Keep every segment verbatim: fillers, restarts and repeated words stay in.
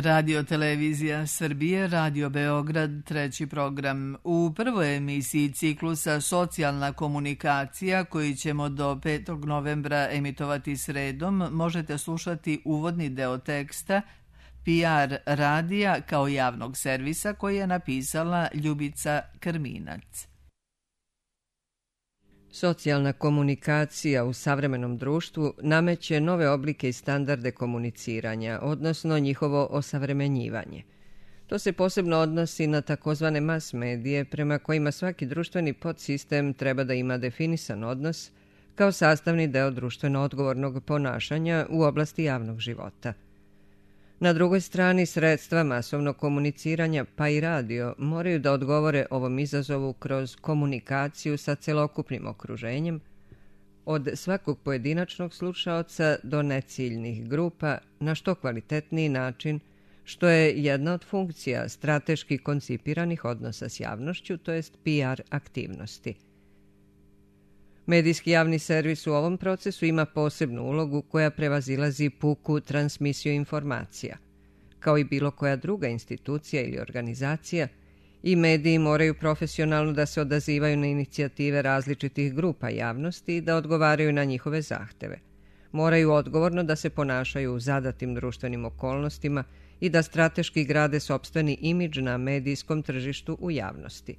Radio Televizija Srbije, Radio Beograd, treći program. U prvoj emisiji ciklusa Socijalna komunikacija, koji ćemo do petog novembra emitovati sredom, možete slušati uvodni deo teksta P R radija kao javnog servisa koji je napisala Ljubica Krminac. Socijalna komunikacija u savremenom društvu nameće nove oblike i standarde komuniciranja, odnosno njihovo osavremenjivanje. To se posebno odnosi na takozvane mas medije, prema kojima svaki društveni podsistem treba da ima definisan odnos kao sastavni deo društveno odgovornog ponašanja u oblasti javnog života. Na drugoj strani, sredstva masovnog komuniciranja, pa i radio, moraju da odgovore ovom izazovu kroz komunikaciju sa celokupnim okruženjem, od svakog pojedinačnog slušaoca do neciljnih grupa na što kvalitetniji način, što je jedna od funkcija strateški koncipiranih odnosa s javnošću, to jest P R aktivnosti. Medijski javni servis u ovom procesu ima posebnu ulogu koja prevazilazi puku transmisiju informacija. Kao i bilo koja druga institucija ili organizacija, i mediji moraju profesionalno da se odazivaju na inicijative različitih grupa javnosti i da odgovaraju na njihove zahteve. Moraju odgovorno da se ponašaju u zadatim društvenim okolnostima i da strateški grade sopstveni imidž na medijskom tržištu u javnosti.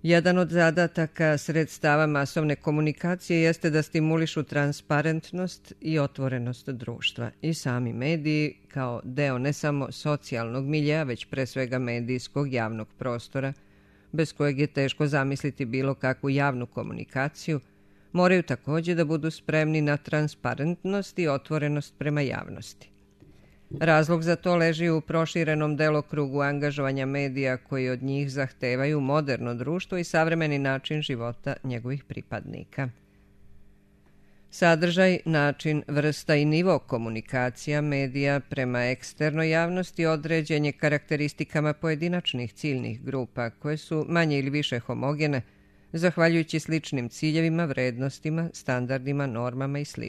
Jedan od zadataka sredstava masovne komunikacije jeste da stimulišu transparentnost i otvorenost društva i sami mediji kao deo ne samo socijalnog miljeja, već pre svega medijskog javnog prostora, bez kojeg je teško zamisliti bilo kakvu javnu komunikaciju, moraju također da budu spremni na transparentnost i otvorenost prema javnosti. Razlog za to leži u proširenom delokrugu angažovanja medija koji od njih zahtevaju moderno društvo i savremeni način života njegovih pripadnika. Sadržaj, način, vrsta i nivo komunikacija medija prema eksternoj javnosti određen je karakteristikama pojedinačnih ciljnih grupa koje su manje ili više homogene, zahvaljujući sličnim ciljevima, vrednostima, standardima, normama i sl.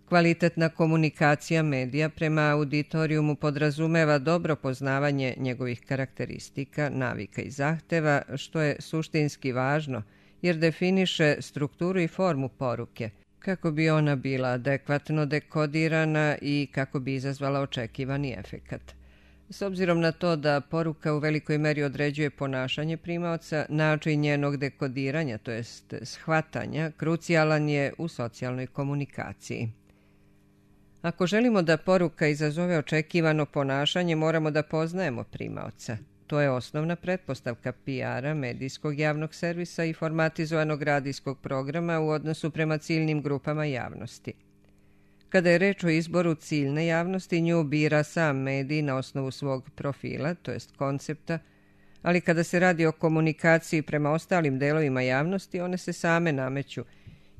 Kvalitetna komunikacija medija prema auditorijumu podrazumeva dobro poznavanje njegovih karakteristika, navika i zahteva, što je suštinski važno jer definiše strukturu i formu poruke, kako bi ona bila adekvatno dekodirana i kako bi izazvala očekivani efekat. S obzirom na to da poruka u velikoj meri određuje ponašanje primaoca, način njenog dekodiranja, to jest shvatanja, krucijalan je u socijalnoj komunikaciji. Ako želimo da poruka izazove očekivano ponašanje, moramo da poznajemo primaoca. To je osnovna pretpostavka P R-a, medijskog javnog servisa i formatizovanog radijskog programa u odnosu prema ciljnim grupama javnosti. Kada je reč o izboru ciljne javnosti, nju bira sam medij na osnovu svog profila, to jest koncepta, ali kada se radi o komunikaciji prema ostalim delovima javnosti, one se same nameću,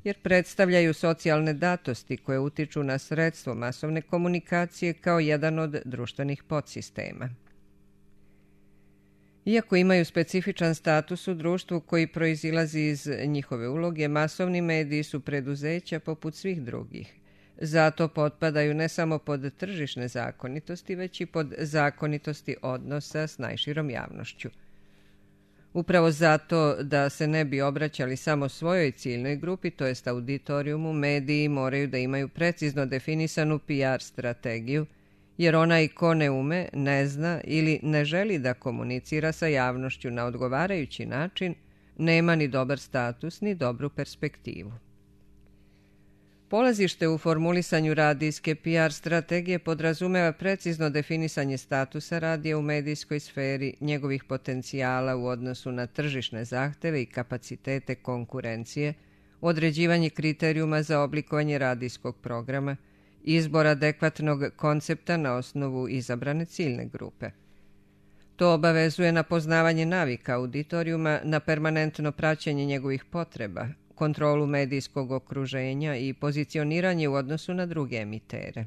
jer predstavljaju socijalne datosti koje utiču na sredstvo masovne komunikacije kao jedan od društvenih podsistema. Iako imaju specifičan status u društvu koji proizilazi iz njihove uloge, masovni mediji su preduzeća poput svih drugih. Zato potpadaju ne samo pod tržišne zakonitosti, već i pod zakonitosti odnosa s najširom javnošću. Upravo zato da se ne bi obraćali samo svojoj ciljnoj grupi, to jest auditorijumu, mediji moraju da imaju precizno definisanu P R strategiju, jer onaj ko ne ume, ne zna ili ne želi da komunicira sa javnošću na odgovarajući način, nema ni dobar status ni dobru perspektivu. Polazište u formulisanju radijske P R strategije podrazumeva precizno definisanje statusa radija u medijskoj sferi, njegovih potencijala u odnosu na tržišne zahteve i kapacitete konkurencije, određivanje kriterijuma za oblikovanje radijskog programa, izbor adekvatnog koncepta na osnovu izabrane ciljne grupe. To obavezuje na poznavanje navika auditorijuma, na permanentno praćenje njegovih potreba, kontrolu medijskog okruženja i pozicioniranje u odnosu na druge emitere.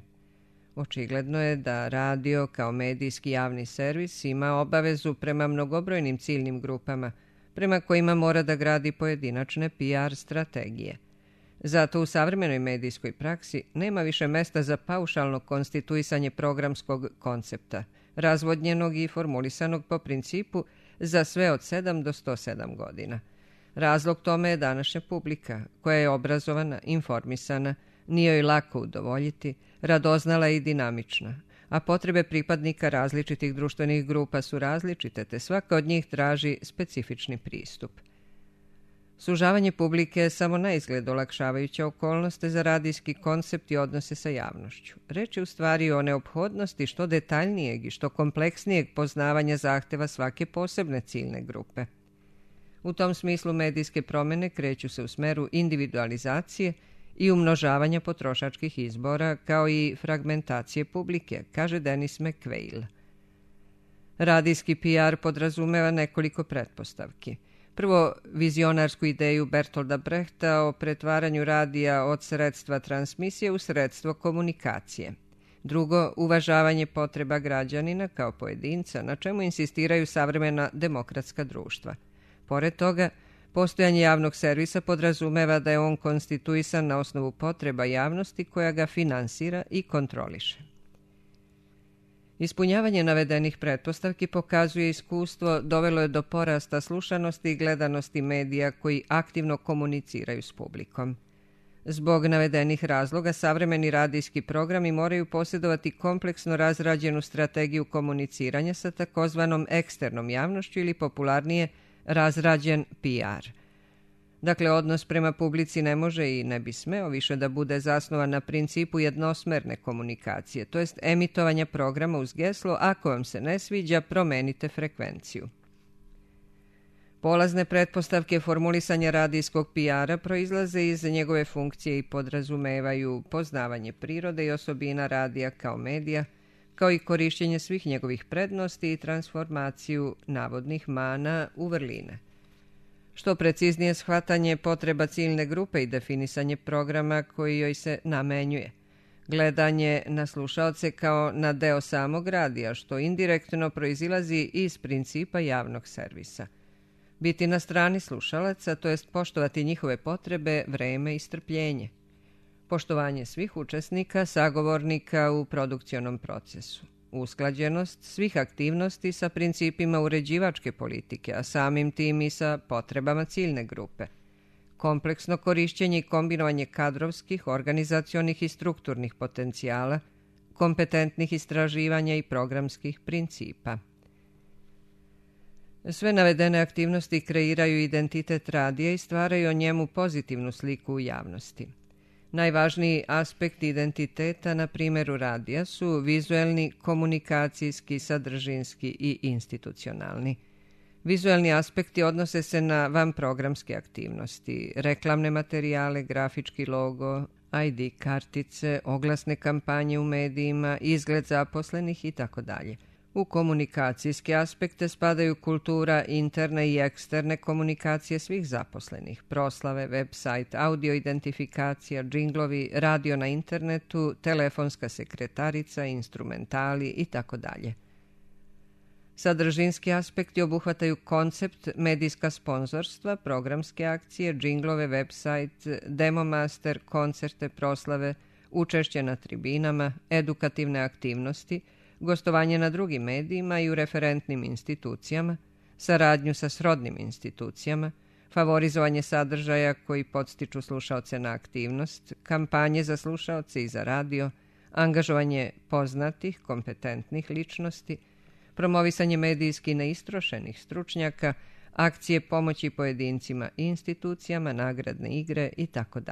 Očigledno je da radio kao medijski javni servis ima obavezu prema mnogobrojnim ciljnim grupama, prema kojima mora da gradi pojedinačne P R strategije. Zato u savremenoj medijskoj praksi nema više mesta za paušalno konstituisanje programskog koncepta, razvodnjenog i formulisanog po principu za sve od sedam do sto sedam godina. Razlog tome je današnja publika, koja je obrazovana, informisana, nije joj lako udovoljiti, radoznala i dinamična, a potrebe pripadnika različitih društvenih grupa su različite, te svaka od njih traži specifični pristup. Sužavanje publike je samo na izgled olakšavajuća okolnost za radijski koncept i odnose sa javnošću. Reč je u stvari o neophodnosti što detaljnijeg i što kompleksnijeg poznavanja zahteva svake posebne ciljne grupe. U tom smislu medijske promjene kreću se u smeru individualizacije i umnožavanja potrošačkih izbora, kao i fragmentacije publike, kaže Dennis McQuail. Radijski P R podrazumeva nekoliko pretpostavki. Prvo, vizionarsku ideju Bertolda Brechta o pretvaranju radija od sredstva transmisije u sredstvo komunikacije. Drugo, uvažavanje potreba građanina kao pojedinca, na čemu insistiraju savremena demokratska društva. Pored toga, postojanje javnog servisa podrazumeva da je on konstituisan na osnovu potreba javnosti koja ga finansira i kontroliše. Ispunjavanje navedenih pretpostavki, pokazuje iskustvo, dovelo je do porasta slušanosti i gledanosti medija koji aktivno komuniciraju s publikom. Zbog navedenih razloga, savremeni radijski programi moraju posjedovati kompleksno razrađenu strategiju komuniciranja sa takozvanom eksternom javnošću ili popularnije razrađen P R. Dakle, odnos prema publici ne može i ne bi smeo više da bude zasnovan na principu jednosmerne komunikacije, to jest emitovanja programa uz geslo "ako vam se ne sviđa, promenite frekvenciju". Polazne pretpostavke formulisanja radijskog P R-a proizlaze iz njegove funkcije i podrazumevaju poznavanje prirode i osobina radija kao medija, kao i korišćenje svih njegovih prednosti i transformaciju navodnih mana u vrline. Što preciznije shvatanje potreba ciljne grupe i definisanje programa koji joj se namenjuje. Gledanje na slušaoce kao na deo samog radija, što indirektno proizilazi iz principa javnog servisa. Biti na strani slušalaca, to jest poštovati njihove potrebe, vreme i strpljenje. Poštovanje svih učesnika, sagovornika u produkcionom procesu. Usklađenost svih aktivnosti sa principima uređivačke politike, a samim tim i sa potrebama ciljne grupe. Kompleksno korišćenje i kombinovanje kadrovskih, organizacionih i strukturnih potencijala, kompetentnih istraživanja i programskih principa. Sve navedene aktivnosti kreiraju identitet radija i stvaraju o njemu pozitivnu sliku u javnosti. Najvažniji aspekt identiteta na primjeru radija su vizuelni, komunikacijski, sadržinski i institucionalni. Vizuelni aspekti odnose se na vanprogramske aktivnosti, reklamne materijale, grafički logo, I D kartice, oglasne kampanje u medijima, izgled zaposlenih itd. U komunikacijske aspekte spadaju kultura interne i eksterne komunikacije svih zaposlenih, proslave, website, audio identifikacija, džinglovi, radio na internetu, telefonska sekretarica, instrumentali itd. Sadržinski aspekti obuhvataju koncept, medijska sponzorstva, programske akcije, džinglove, website, demo master, koncerte, proslave, učešće na tribinama, edukativne aktivnosti, gostovanje na drugim medijima i u referentnim institucijama, saradnju sa srodnim institucijama, favorizovanje sadržaja koji podstiču slušaoce na aktivnost, kampanje za slušaoce i za radio, angažovanje poznatih, kompetentnih ličnosti, promovisanje medijski neistrošenih stručnjaka, akcije pomoći pojedincima i institucijama, nagradne igre itd.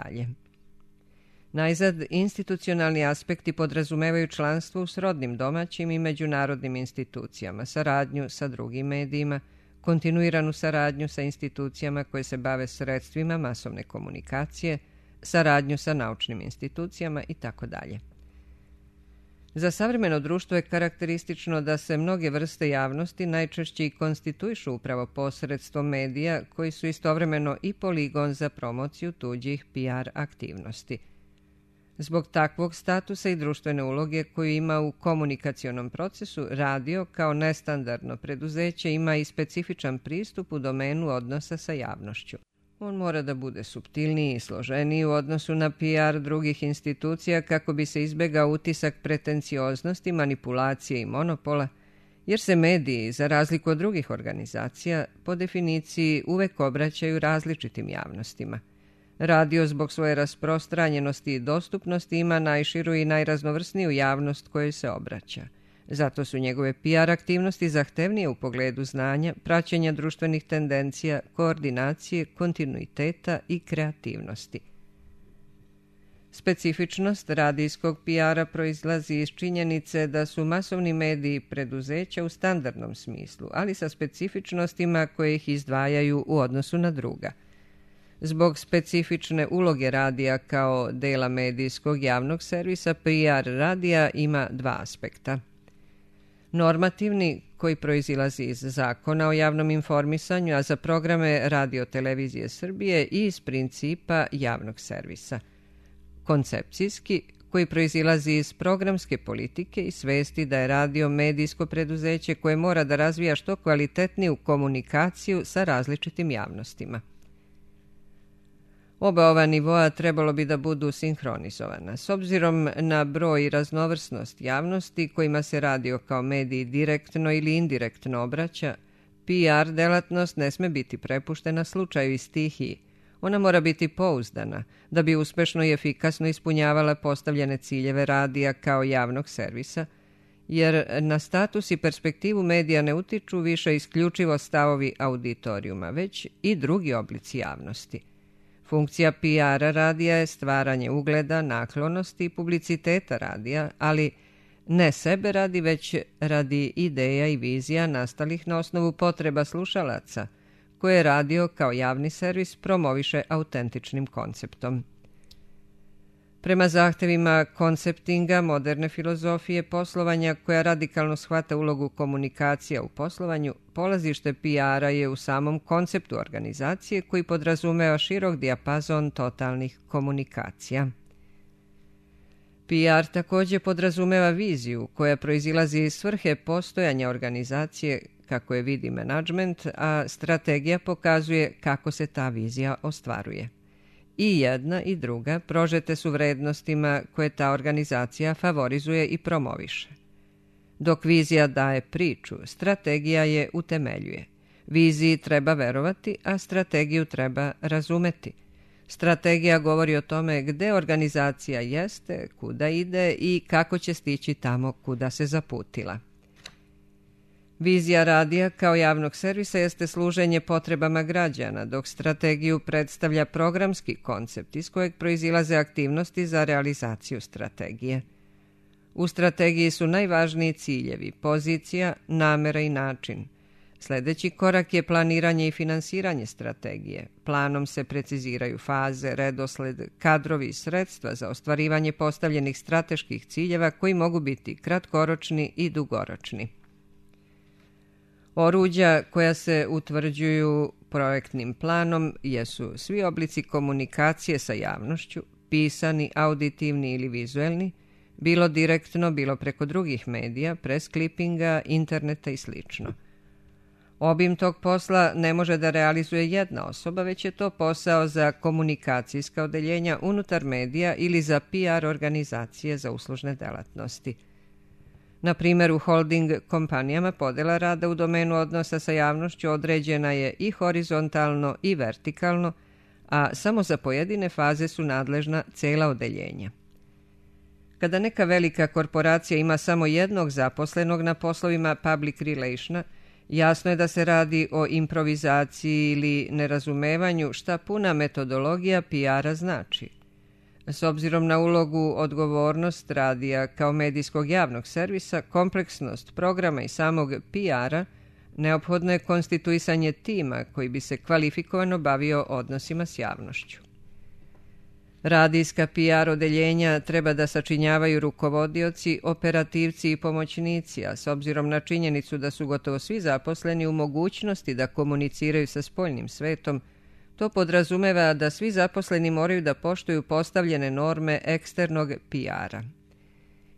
Najzad, institucionalni aspekti podrazumevaju članstvo u srodnim domaćim i međunarodnim institucijama, saradnju sa drugim medijima, kontinuiranu saradnju sa institucijama koje se bave sredstvima masovne komunikacije, saradnju sa naučnim institucijama itd. Za savremeno društvo je karakteristično da se mnoge vrste javnosti najčešće i konstituišu upravo posredstvom medija koji su istovremeno i poligon za promociju tuđih P R aktivnosti. Zbog takvog statusa i društvene uloge koju ima u komunikacionom procesu, radio kao nestandardno preduzeće ima i specifičan pristup u domenu odnosa sa javnošću. On mora da bude suptilniji i složeniji u odnosu na P R drugih institucija kako bi se izbegao utisak pretencioznosti, manipulacije i monopola, jer se mediji, za razliku od drugih organizacija, po definiciji uvek obraćaju različitim javnostima. Radio zbog svoje rasprostranjenosti i dostupnosti ima najširu i najraznovrsniju javnost kojoj se obraća. Zato su njegove P R aktivnosti zahtevnije u pogledu znanja, praćenja društvenih tendencija, koordinacije, kontinuiteta i kreativnosti. Specifičnost radijskog P R-a proizlazi iz činjenice da su masovni mediji preduzeća u standardnom smislu, ali sa specifičnostima koje ih izdvajaju u odnosu na druga. Zbog specifične uloge radija kao dela medijskog javnog servisa, P R radija ima dva aspekta. Normativni, koji proizilazi iz Zakona o javnom informisanju, a za programe Radio-televizije Srbije i iz principa javnog servisa. Koncepcijski, koji proizilazi iz programske politike i svesti da je radio medijsko preduzeće koje mora da razvija što kvalitetniju komunikaciju sa različitim javnostima. Oba ova nivoa trebalo bi da budu sinhronizovana. S obzirom na broj i raznovrsnost javnosti kojima se radio kao mediji direktno ili indirektno obraća, P R delatnost ne sme biti prepuštena slučaju i stihiji. Ona mora biti pouzdana da bi uspešno i efikasno ispunjavala postavljene ciljeve radija kao javnog servisa, jer na status i perspektivu medija ne utiču više isključivo stavovi auditorijuma, već i drugi oblici javnosti. Funkcija P R-a radija je stvaranje ugleda, naklonosti i publiciteta radija, ali ne sebe radi, već radi ideja i vizija nastalih na osnovu potreba slušalaca, koje radio kao javni servis promoviše autentičnim konceptom. Prema zahtevima konceptinga moderne filozofije poslovanja koja radikalno shvata ulogu komunikacija u poslovanju, polazište P R-a je u samom konceptu organizacije koji podrazumeva širok dijapazon totalnih komunikacija. P R također podrazumeva viziju koja proizilazi iz svrhe postojanja organizacije kako je vidi menadžment, a strategija pokazuje kako se ta vizija ostvaruje. I jedna i druga prožete su vrednostima koje ta organizacija favorizuje i promoviše. Dok vizija daje priču, strategija je utemeljuje. Viziji treba verovati, a strategiju treba razumeti. Strategija govori o tome gde organizacija jeste, kuda ide i kako će stići tamo kuda se zaputila. Vizija radija kao javnog servisa jeste služenje potrebama građana, dok strategiju predstavlja programski koncept iz kojeg proizilaze aktivnosti za realizaciju strategije. U strategiji su najvažniji ciljevi, pozicija, namera i način. Sljedeći korak je planiranje i finansiranje strategije. Planom se preciziraju faze, redosled, kadrovi i sredstva za ostvarivanje postavljenih strateških ciljeva koji mogu biti kratkoročni i dugoročni. Oruđa koja se utvrđuju projektnim planom jesu svi oblici komunikacije sa javnošću, pisani, auditivni ili vizuelni, bilo direktno, bilo preko drugih medija, press klipinga, interneta i sl. Obim tog posla ne može da realizuje jedna osoba, već je to posao za komunikacijska odeljenja unutar medija ili za P R organizacije za uslužne delatnosti. Na primjer, u holding kompanijama podela rada u domenu odnosa sa javnošću određena je i horizontalno i vertikalno, a samo za pojedine faze su nadležna cela odeljenja. Kada neka velika korporacija ima samo jednog zaposlenog na poslovima public relationa, jasno je da se radi o improvizaciji ili nerazumevanju šta puna metodologija P R-a znači. S obzirom na ulogu, odgovornost radija kao medijskog javnog servisa, kompleksnost programa i samog P R-a, neophodno je konstituisanje tima koji bi se kvalifikovano bavio odnosima s javnošću. Radijska P R odeljenja treba da sačinjavaju rukovodioci, operativci i pomoćnici, a s obzirom na činjenicu da su gotovo svi zaposleni u mogućnosti da komuniciraju sa spoljnim svetom, to podrazumeva da svi zaposleni moraju da poštuju postavljene norme eksternog P R-a.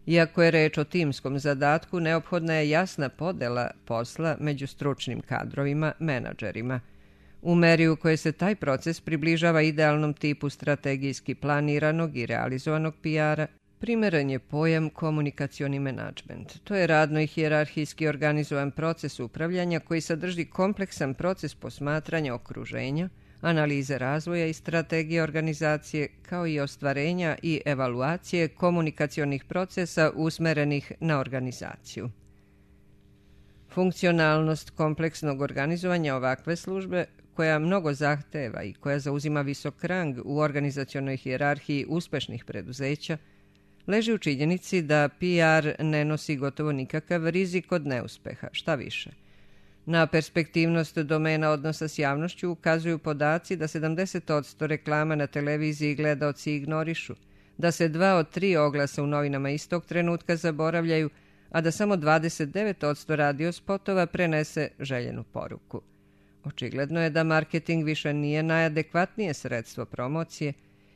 Iako je reč o timskom zadatku, neophodna je jasna podela posla među stručnim kadrovima, menadžerima. U meri u kojoj se taj proces približava idealnom tipu strategijski planiranog i realizovanog P R-a, primjeren je pojam komunikacioni menadžment. To je radno i hijerarhijski organizovan proces upravljanja koji sadrži kompleksan proces posmatranja okruženja, analize razvoja i strategije organizacije, kao i ostvarenja i evaluacije komunikacionih procesa usmerenih na organizaciju. Funkcionalnost kompleksnog organizovanja ovakve službe, koja mnogo zahteva i koja zauzima visok rang u organizacionoj hijerarhiji uspešnih preduzeća, leži u činjenici da P R ne nosi gotovo nikakav rizik od neuspeha, šta više. Na perspektivnost domena odnosa s javnošću ukazuju podaci da sedamdeset posto reklama na televiziji gledaoci ignorišu, da se dva od tri oglasa u novinama istog trenutka zaboravljaju, a da samo dvadeset devet posto radio spotova prenese željenu poruku. Očigledno je da marketing više nije najadekvatnije sredstvo promocije,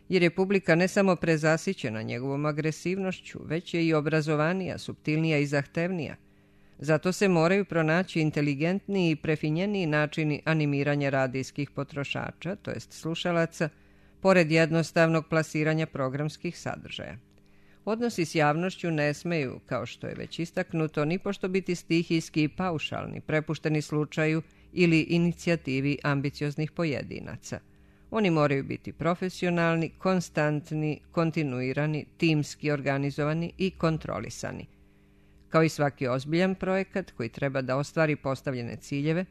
jer je publika ne samo prezasićena njegovom agresivnošću, već je i obrazovanija, suptilnija i zahtevnija. Zato se moraju pronaći inteligentniji i prefinjeniji načini animiranja radijskih potrošača, to jest slušalaca, pored jednostavnog plasiranja programskih sadržaja. Odnosi s javnošću ne smeju, kao što je već istaknuto, nipošto biti stihijski i paušalni, prepušteni slučaju ili inicijativi ambicioznih pojedinaca. Oni moraju biti profesionalni, konstantni, kontinuirani, timski organizovani i kontrolisani. Kao i svaki ozbiljan projekat koji treba da ostvari postavljene ciljeve,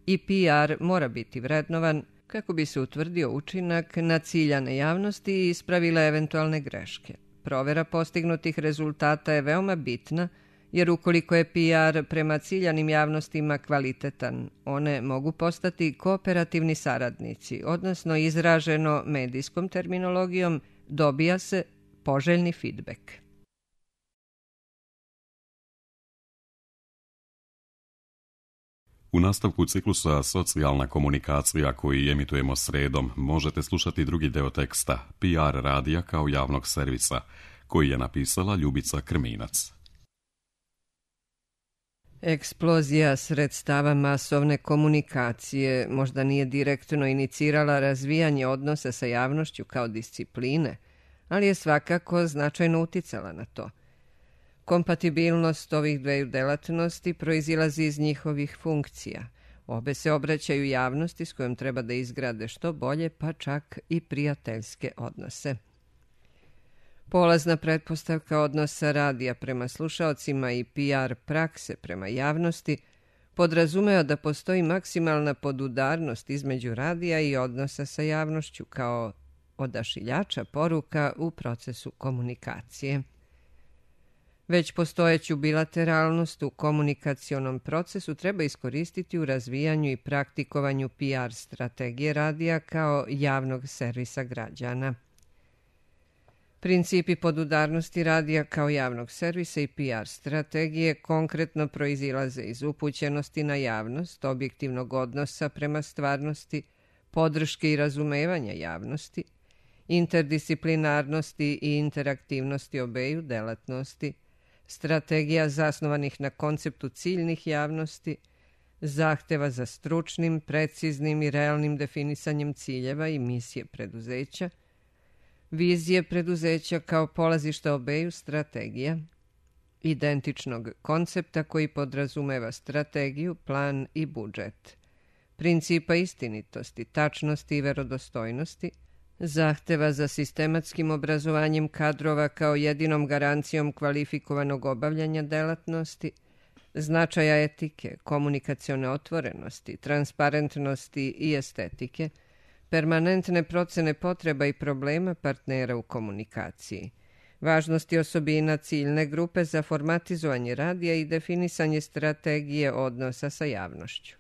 i P R mora biti vrednovan kako bi se utvrdio učinak na ciljane javnosti i ispravile eventualne greške. Provera postignutih rezultata je veoma bitna, jer ukoliko je P R prema ciljanim javnostima kvalitetan, one mogu postati kooperativni saradnici, odnosno izraženo medijskom terminologijom dobija se poželjni feedback. U nastavku ciklusa Socijalna komunikacija koji emitujemo sredom možete slušati drugi deo teksta P R radija kao javnog servisa, koji je napisala Ljubica Krminac. Eksplozija sredstava masovne komunikacije možda nije direktno inicirala razvijanje odnosa sa javnošću kao discipline, ali je svakako značajno uticala na to. Kompatibilnost ovih dveju delatnosti proizilazi iz njihovih funkcija. Obe se obraćaju javnosti s kojom treba da izgrade što bolje, pa čak i prijateljske odnose. Polazna pretpostavka odnosa radija prema slušaocima i P R prakse prema javnosti podrazumeva da postoji maksimalna podudarnost između radija i odnosa sa javnošću kao odašiljača poruka u procesu komunikacije. Već postojeću bilateralnost u komunikacionom procesu treba iskoristiti u razvijanju i praktikovanju P R strategije radija kao javnog servisa građana. Principi podudarnosti radija kao javnog servisa i P R strategije konkretno proizilaze iz upućenosti na javnost, objektivnog odnosa prema stvarnosti, podrške i razumevanja javnosti, interdisciplinarnosti i interaktivnosti obeju delatnosti, strategija zasnovanih na konceptu ciljnih javnosti, zahteva za stručnim, preciznim i realnim definisanjem ciljeva i misije preduzeća, vizije preduzeća kao polazišta obeju strategija, identičnog koncepta koji podrazumeva strategiju, plan i budžet, principa istinitosti, tačnosti i verodostojnosti, zahteva za sistematskim obrazovanjem kadrova kao jedinom garancijom kvalifikovanog obavljanja delatnosti, značaja etike, komunikacione otvorenosti, transparentnosti i estetike, permanentne procene potreba i problema partnera u komunikaciji, važnosti osobina ciljne grupe za formatizovanje radija i definisanje strategije odnosa sa javnošću,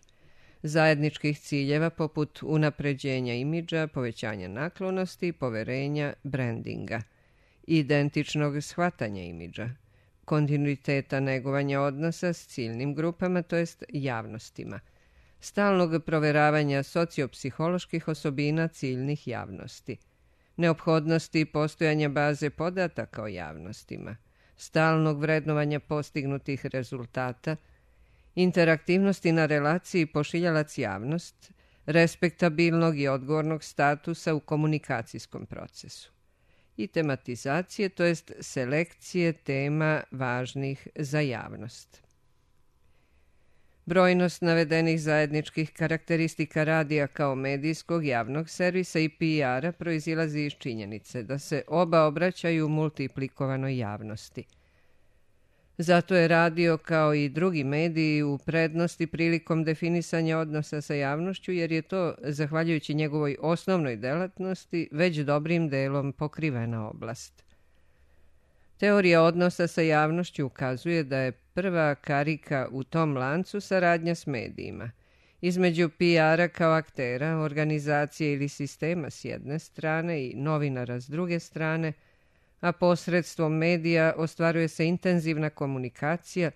zajedničkih ciljeva poput unapređenja imidža, povećanja naklonosti, poverenja, brandinga, identičnog shvatanja imidža, kontinuiteta negovanja odnosa s ciljnim grupama, to jest javnostima, stalnog proveravanja sociopsiholoških osobina ciljnih javnosti, neophodnosti postojanja baze podataka o javnostima, stalnog vrednovanja postignutih rezultata, interaktivnosti na relaciji pošiljalac javnost, respektabilnog i odgovornog statusa u komunikacijskom procesu i tematizacije, to jest selekcije tema važnih za javnost. Brojnost navedenih zajedničkih karakteristika radija kao medijskog javnog servisa i P R-a proizilazi iz činjenice da se oba obraćaju multiplikovanoj javnosti. Zato je radio kao i drugi mediji u prednosti prilikom definisanja odnosa sa javnošću, jer je to, zahvaljujući njegovoj osnovnoj delatnosti, već dobrim delom pokrivena oblast. Teorija odnosa sa javnošću ukazuje da je prva karika u tom lancu saradnja s medijima, između P R-a kao aktera, organizacije ili sistema s jedne strane i novinara s druge strane, a posredstvom medija ostvaruje se intenzivna komunikacija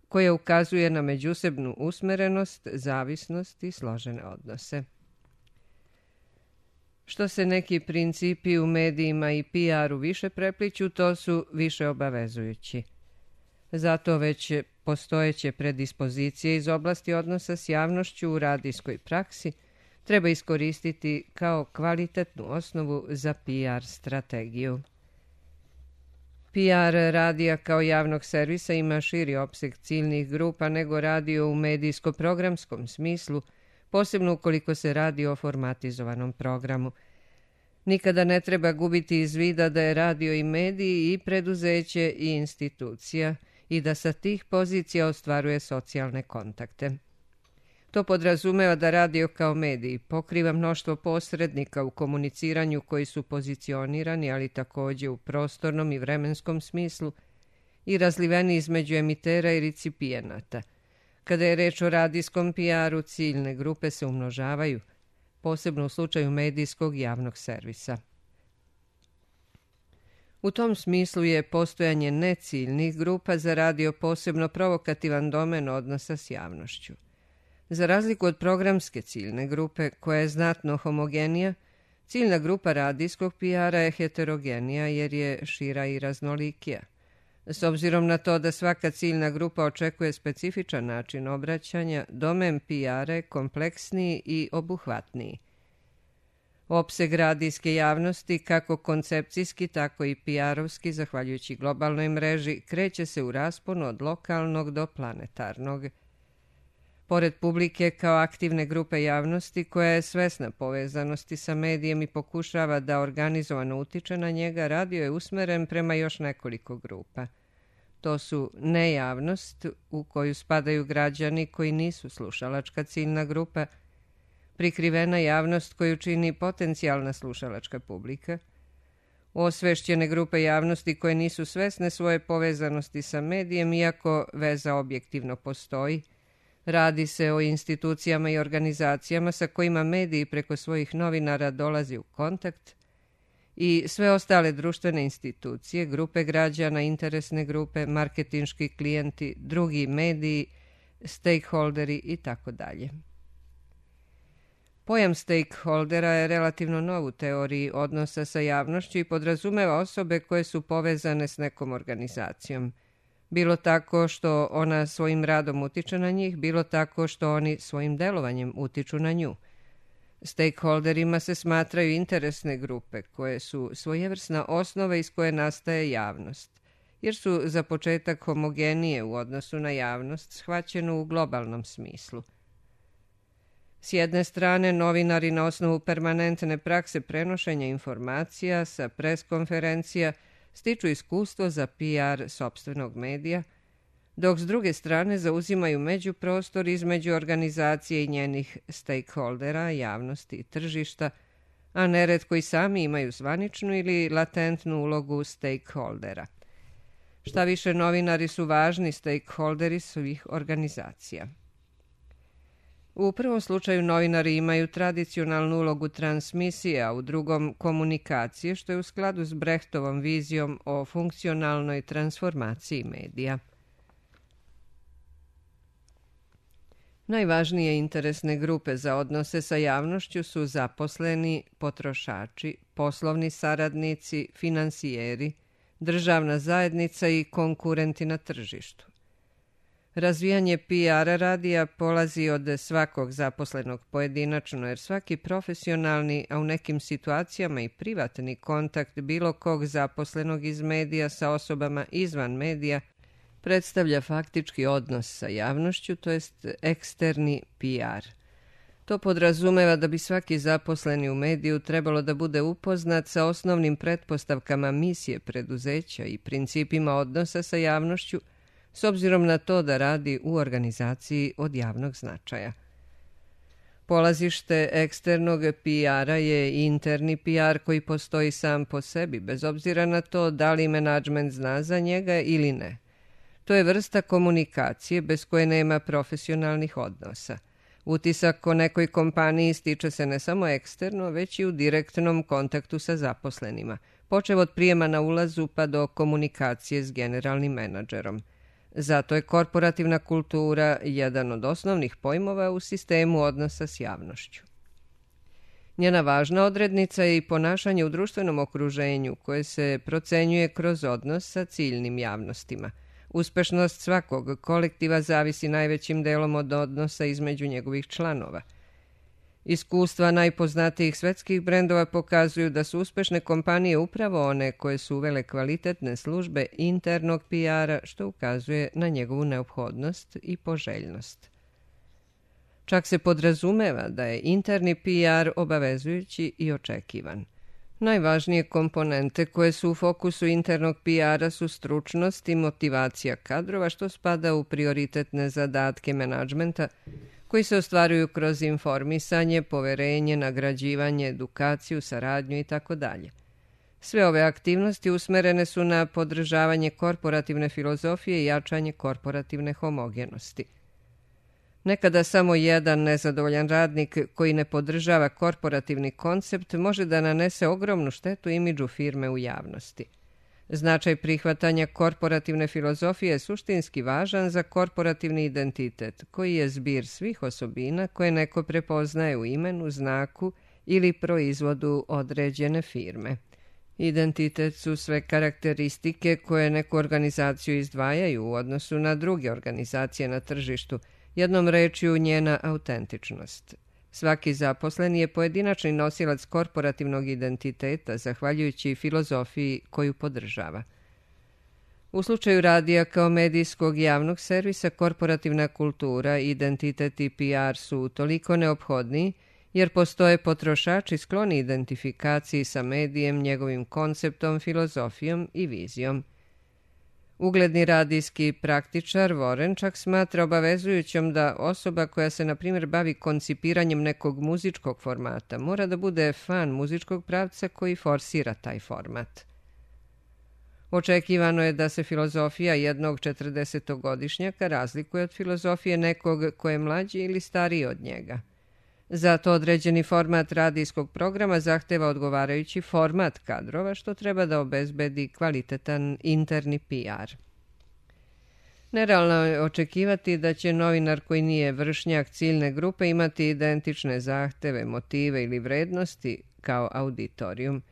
koja ukazuje na međusobnu usmerenost, zavisnost i složene odnose. Što se neki principi u medijima i P R-u više prepliću, to su više obavezujući. Zato već postojeće predispozicije iz oblasti odnosa s javnošću u radijskoj praksi treba iskoristiti kao kvalitetnu osnovu za P R strategiju. P R radija kao javnog servisa ima širi opseg ciljnih grupa nego radio u medijsko-programskom smislu, posebno ukoliko se radi o formatizovanom programu. Nikada ne treba gubiti iz vida da je radio i mediji i preduzeće i institucija i da sa tih pozicija ostvaruje socijalne kontakte. To podrazumeva da radio kao medij pokriva mnoštvo posrednika u komuniciranju koji su pozicionirani, ali također u prostornom i vremenskom smislu i razliveni između emitera i recipijenata. Kada je reč o radijskom P R-u, ciljne grupe se umnožavaju, posebno u slučaju medijskog javnog servisa. U tom smislu je postojanje neciljnih grupa za radio posebno provokativan domen odnosa s javnošću. Za razliku od programske ciljne grupe, koja je znatno homogenija, ciljna grupa radijskog P R-a je heterogenija jer je šira i raznolikija. S obzirom na to da svaka ciljna grupa očekuje specifičan način obraćanja, domen P R-a je kompleksniji i obuhvatniji. Opseg radijske javnosti, kako koncepcijski, tako i P R-ovski, zahvaljujući globalnoj mreži, kreće se u rasponu od lokalnog do planetarnog. Pored publike kao aktivne grupe javnosti koja je svesna povezanosti sa medijem i pokušava da organizovano utiče na njega, radio je usmeren prema još nekoliko grupa. To su nejavnost, u koju spadaju građani koji nisu slušalačka ciljna grupa, prikrivena javnost koju čini potencijalna slušalačka publika, osvešćene grupe javnosti koje nisu svesne svoje povezanosti sa medijem, iako veza objektivno postoji. Radi se o institucijama i organizacijama sa kojima mediji preko svojih novinara dolazi u kontakt i sve ostale društvene institucije, grupe građana, interesne grupe, marketinški klijenti, drugi mediji, stakeholderi i tako dalje. Pojam stakeholdera je relativno nov u teoriji odnosa sa javnošću i podrazumeva osobe koje su povezane s nekom organizacijom. Bilo tako što ona svojim radom utiče na njih, bilo tako što oni svojim delovanjem utiču na nju. Stakeholderima se smatraju interesne grupe koje su svojevrsna osnova iz koje nastaje javnost, jer su za početak homogenije u odnosu na javnost, shvaćenu u globalnom smislu. S jedne strane, novinari na osnovu permanentne prakse prenošenja informacija sa preskonferencija stiču iskustvo za P R sopstvenog medija, dok s druge strane zauzimaju međuprostor između organizacije i njenih stakeholdera, javnosti i tržišta, a neretko i sami imaju zvaničnu ili latentnu ulogu stakeholdera. Šta više, novinari su važni stakeholderi svih organizacija. U prvom slučaju novinari imaju tradicionalnu ulogu transmisije, a u drugom komunikacije, što je u skladu s Brechtovom vizijom o funkcionalnoj transformaciji medija. Najvažnije interesne grupe za odnose sa javnošću su zaposleni, potrošači, poslovni saradnici, finansijeri, državna zajednica i konkurenti na tržištu. Razvijanje P R radija polazi od svakog zaposlenog pojedinačno, jer svaki profesionalni, a u nekim situacijama i privatni kontakt bilo kog zaposlenog iz medija sa osobama izvan medija predstavlja faktički odnos sa javnošću, to jest eksterni P R. To podrazumeva da bi svaki zaposleni u mediju trebalo da bude upoznat sa osnovnim pretpostavkama misije preduzeća i principima odnosa sa javnošću, s obzirom na to da radi u organizaciji od javnog značaja. Polazište eksternog P R-a je interni P R koji postoji sam po sebi, bez obzira na to da li menadžment zna za njega ili ne. To je vrsta komunikacije bez koje nema profesionalnih odnosa. Utisak o nekoj kompaniji stiče se ne samo eksterno, već i u direktnom kontaktu sa zaposlenima, počev od prijema na ulazu pa do komunikacije s generalnim menadžerom. Zato je korporativna kultura jedan od osnovnih pojmova u sistemu odnosa s javnošću. Njena važna odrednica je i ponašanje u društvenom okruženju koje se procenjuje kroz odnos sa ciljnim javnostima. Uspešnost svakog kolektiva zavisi najvećim delom od odnosa između njegovih članova. Iskustva najpoznatijih svetskih brendova pokazuju da su uspešne kompanije upravo one koje su uvele kvalitetne službe internog P R-a, što ukazuje na njegovu neophodnost i poželjnost. Čak se podrazumeva da je interni P R obavezujući i očekivan. Najvažnije komponente koje su u fokusu internog P R-a su stručnost i motivacija kadrova, što spada u prioritetne zadatke menadžmenta, koji se ostvaruju kroz informisanje, poverenje, nagrađivanje, edukaciju, saradnju itd. Sve ove aktivnosti usmerene su na podržavanje korporativne filozofije i jačanje korporativne homogenosti. Nekada samo jedan nezadovoljan radnik koji ne podržava korporativni koncept može da nanese ogromnu štetu imidžu firme u javnosti. Značaj prihvatanja korporativne filozofije je suštinski važan za korporativni identitet, koji je zbir svih osobina koje neko prepoznaje u imenu, znaku ili proizvodu određene firme. Identitet su sve karakteristike koje neku organizaciju izdvajaju u odnosu na druge organizacije na tržištu, jednom rečju njena autentičnost. Svaki zaposleni je pojedinačni nosilac korporativnog identiteta, zahvaljujući filozofiji koju podržava. U slučaju radija kao medijskog javnog servisa, korporativna kultura, identitet i P R su toliko neophodni, jer postoje potrošači skloni identifikaciji sa medijem, njegovim konceptom, filozofijom i vizijom. Ugledni radijski praktičar Warren čak smatra obavezujućom da osoba koja se, na primjer, bavi koncipiranjem nekog muzičkog formata mora da bude fan muzičkog pravca koji forsira taj format. Očekivano je da se filozofija jednog četrdesetogodišnjaka razlikuje od filozofije nekog ko je mlađi ili stariji od njega. Zato određeni format radijskog programa zahteva odgovarajući format kadrova, što treba da obezbedi kvalitetan interni P R. Nerealno je očekivati da će novinar koji nije vršnjak ciljne grupe imati identične zahteve, motive ili vrednosti kao auditorijum.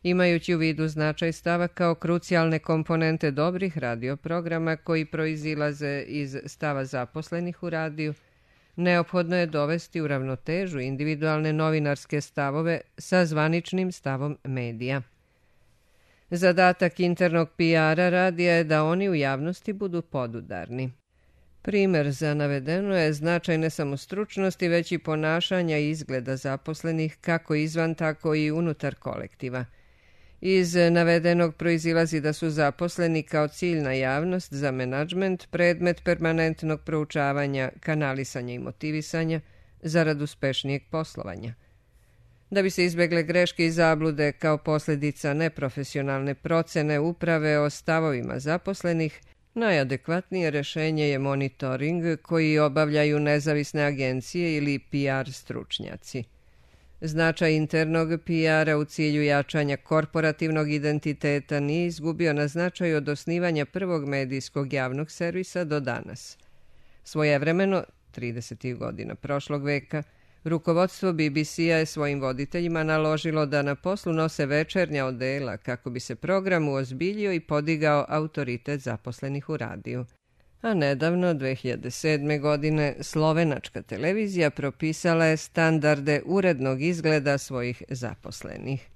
Imajući u vidu značaj stava kao krucijalne komponente dobrih radioprograma koji proizilaze iz stava zaposlenih u radiju, neophodno je dovesti u ravnotežu individualne novinarske stavove sa zvaničnim stavom medija. Zadatak internog P R-a radija je da oni u javnosti budu podudarni. Primer za navedeno je značaj ne samo stručnosti, već i ponašanja i izgleda zaposlenih kako izvan, tako i unutar kolektiva. Iz navedenog proizilazi da su zaposleni kao ciljna javnost za menadžment predmet permanentnog proučavanja, kanalisanja i motivisanja zarad uspešnijeg poslovanja. Da bi se izbegle greške i zablude kao posljedica neprofesionalne procene uprave o stavovima zaposlenih, najadekvatnije rješenje je monitoring koji obavljaju nezavisne agencije ili P R stručnjaci. Značaj internog P R-a u cilju jačanja korporativnog identiteta nije izgubio na značaju od osnivanja prvog medijskog javnog servisa do danas. Svojevremeno, tridesetih godina prošlog veka, rukovodstvo B B C-a je svojim voditeljima naložilo da na poslu nose večernja odela kako bi se program uozbiljio i podigao autoritet zaposlenih u radiju. A nedavno, dve hiljade sedme. godine, slovenačka televizija propisala je standarde urednog izgleda svojih zaposlenih.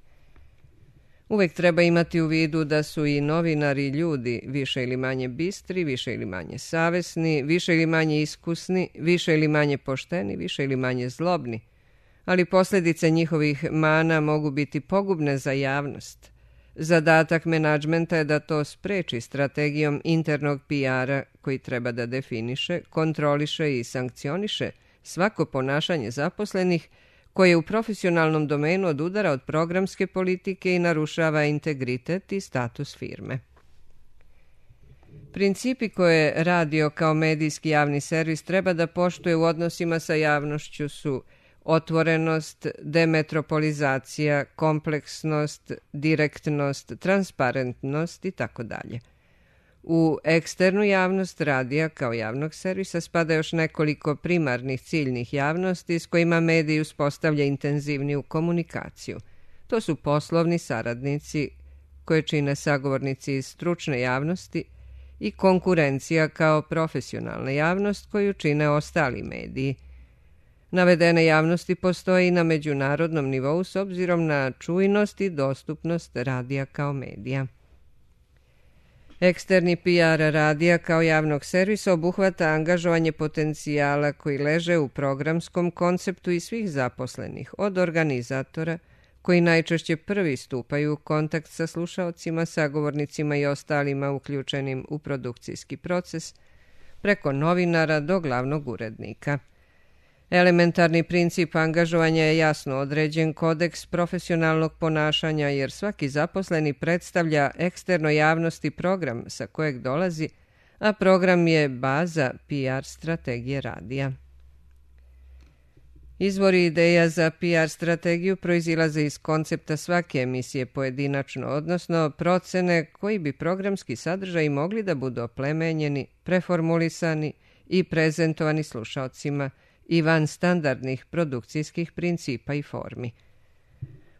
Uvijek treba imati u vidu da su i novinari ljudi više ili manje bistri, više ili manje savesni, više ili manje iskusni, više ili manje pošteni, više ili manje zlobni, ali posljedice njihovih mana mogu biti pogubne za javnost. Zadatak menadžmenta je da to spreči strategijom internog P R-a koji treba da definiše, kontroliše i sankcioniše svako ponašanje zaposlenih koje u profesionalnom domenu odudara od programske politike i narušava integritet i status firme. Principi koje radio kao medijski javni servis treba da poštuje u odnosima sa javnošću su otvorenost, demetropolizacija, kompleksnost, direktnost, transparentnost i tako dalje. U eksternu javnost radija kao javnog servisa spada još nekoliko primarnih ciljnih javnosti s kojima mediji uspostavlja intenzivniju komunikaciju. To su poslovni saradnici koje čine sagovornici iz stručne javnosti i konkurencija kao profesionalna javnost koju čine ostali mediji. Navedene javnosti postoje i na međunarodnom nivou s obzirom na čujnost i dostupnost radija kao medija. Eksterni P R radija kao javnog servisa obuhvata angažovanje potencijala koji leže u programskom konceptu i svih zaposlenih, od organizatora, koji najčešće prvi stupaju u kontakt sa slušaocima, sagovornicima i ostalima uključenim u produkcijski proces, preko novinara do glavnog urednika. Elementarni princip angažovanja je jasno određen kodeks profesionalnog ponašanja jer svaki zaposleni predstavlja eksterno javnosti program sa kojeg dolazi, a program je baza P R strategije radija. Izvori ideja za P R strategiju proizilaze iz koncepta svake emisije pojedinačno, odnosno procene koji bi programski sadržaji mogli da budu oplemenjeni, preformulisani i prezentovani slušaocima i van standardnih produkcijskih principa i formi.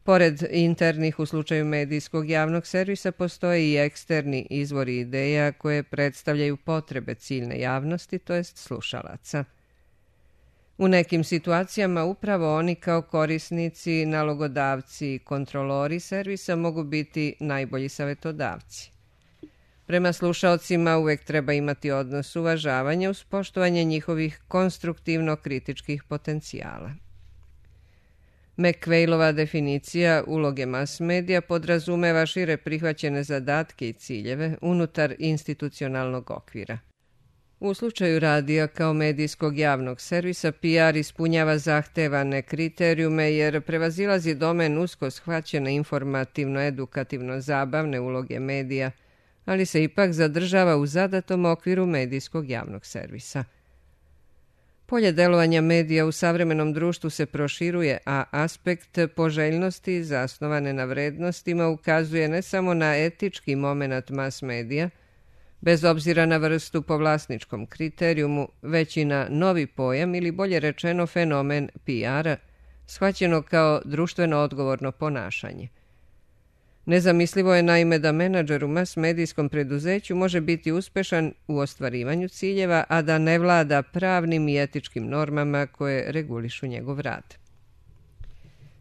Pored internih u slučaju medijskog javnog servisa postoje i eksterni izvori ideja koje predstavljaju potrebe ciljne javnosti, to jest slušalaca. U nekim situacijama upravo oni kao korisnici, nalogodavci i kontrolori servisa mogu biti najbolji savjetodavci. Prema slušaocima uvijek treba imati odnos uvažavanja uz poštovanje njihovih konstruktivno-kritičkih potencijala. McQuailova definicija uloge mass medija podrazumeva šire prihvaćene zadatke i ciljeve unutar institucionalnog okvira. U slučaju radija kao medijskog javnog servisa P R ispunjava zahtevane kriterijume jer prevazilazi domen usko shvaćene informativno-edukativno-zabavne uloge medija, ali se ipak zadržava u zadatom okviru medijskog javnog servisa. Polje delovanja medija u savremenom društvu se proširuje, a aspekt poželjnosti zasnovane na vrednostima ukazuje ne samo na etički momenat mass medija, bez obzira na vrstu po vlasničkom kriterijumu, već i na novi pojam ili bolje rečeno fenomen P R-a, shvaćeno kao društveno odgovorno ponašanje. Nezamislivo je naime da menadžer u mas-medijskom preduzeću može biti uspešan u ostvarivanju ciljeva, a da ne vlada pravnim i etičkim normama koje regulišu njegov rad.